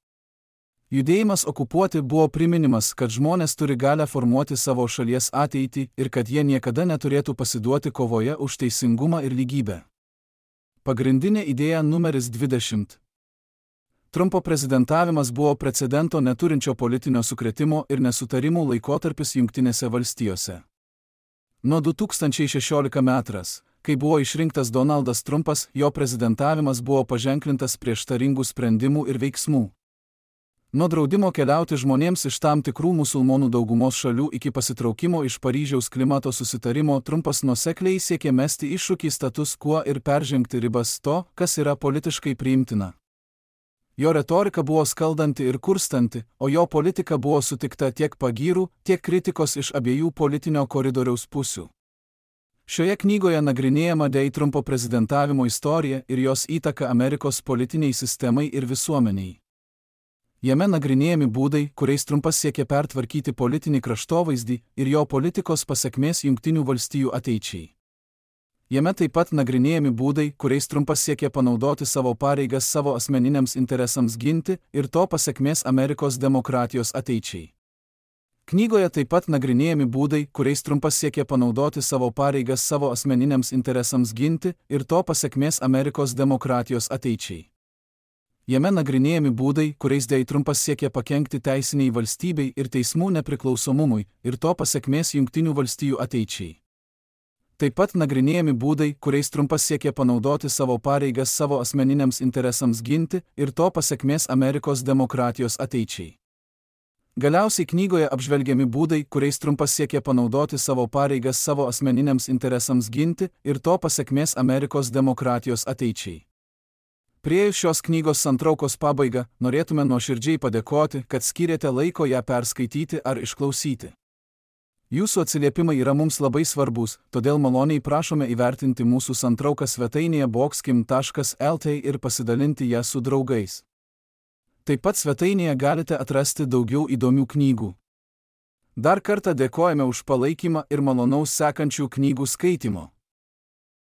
Judėjimas okupuoti buvo priminimas, kad žmonės turi galią formuoti savo šalies ateitį ir kad jie niekada neturėtų pasiduoti kovoje už teisingumą ir lygybę. Pagrindinė idėja numeris 20. Trumpo prezidentavimas buvo precedento neturinčio politinio sukrėtimo ir nesutarimų laikotarpis Jungtinėse valstijose. Nuo 2016 metras, kai buvo išrinktas Donaldas Trumpas, jo prezidentavimas buvo paženklintas prieštaringų sprendimų ir veiksmų. Nuo draudimo keliauti žmonėms iš tam tikrų musulmonų daugumos šalių iki pasitraukimo iš Paryžiaus klimato susitarimo Trumpas nuosekliai siekė mesti iššūkį status quo ir peržengti ribas to, kas yra politiškai priimtina. Jo retorika buvo skaldanti ir kurstanti, o jo politika buvo sutikta tiek pagyrų, tiek kritikos iš abiejų politinio koridoriaus pusių. Šioje knygoje nagrinėjama Trumpo prezidentavimo istorija ir jos įtaka Amerikos politiniai sistemai ir visuomeniai. Jame nagrinėjami būdai, kuriais Trumpas siekė pertvarkyti politinį kraštovaizdį ir jo politikos pasekmės Jungtinių valstijų ateičiai. Jame taip pat nagrinėjami būdai, kuriais Trumpas siekė panaudoti savo pareigas savo asmeniniams interesams ginti ir to pasekmės Amerikos demokratijos ateičiai. Knygoje taip pat nagrinėjami būdai, kuriais Trumpas siekė panaudoti savo pareigas savo asmeniniams interesams ginti ir to pasekmės Amerikos demokratijos ateičiai. Jame nagrinėjami būdai, kuriais Trumpas siekė pakenkti teisiniai valstybei ir teismų nepriklausomumui ir to pasekmės Jungtinių valstijų ateičiai. Taip pat nagrinėjami būdai, kuriais Trumpas siekė panaudoti savo pareigas savo asmeniniams interesams ginti ir to pasekmės Amerikos demokratijos ateičiai. Galiausiai knygoje apžvelgiami būdai, kuriais Trumpas siekė panaudoti savo pareigas savo asmeniniams interesams ginti ir to pasekmės Amerikos demokratijos ateičiai. Priėjus šios knygos santraukos pabaigą, norėtume nuoširdžiai padėkoti, kad skyrėte laiko ją perskaityti ar išklausyti. Jūsų atsiliepimai yra mums labai svarbus, todėl maloniai prašome įvertinti mūsų santrauką svetainėje boxkim.lt ir pasidalinti ją su draugais. Taip pat svetainėje galite atrasti daugiau įdomių knygų. Dar kartą dėkojame už palaikymą ir malonaus sekančių knygų skaitimo.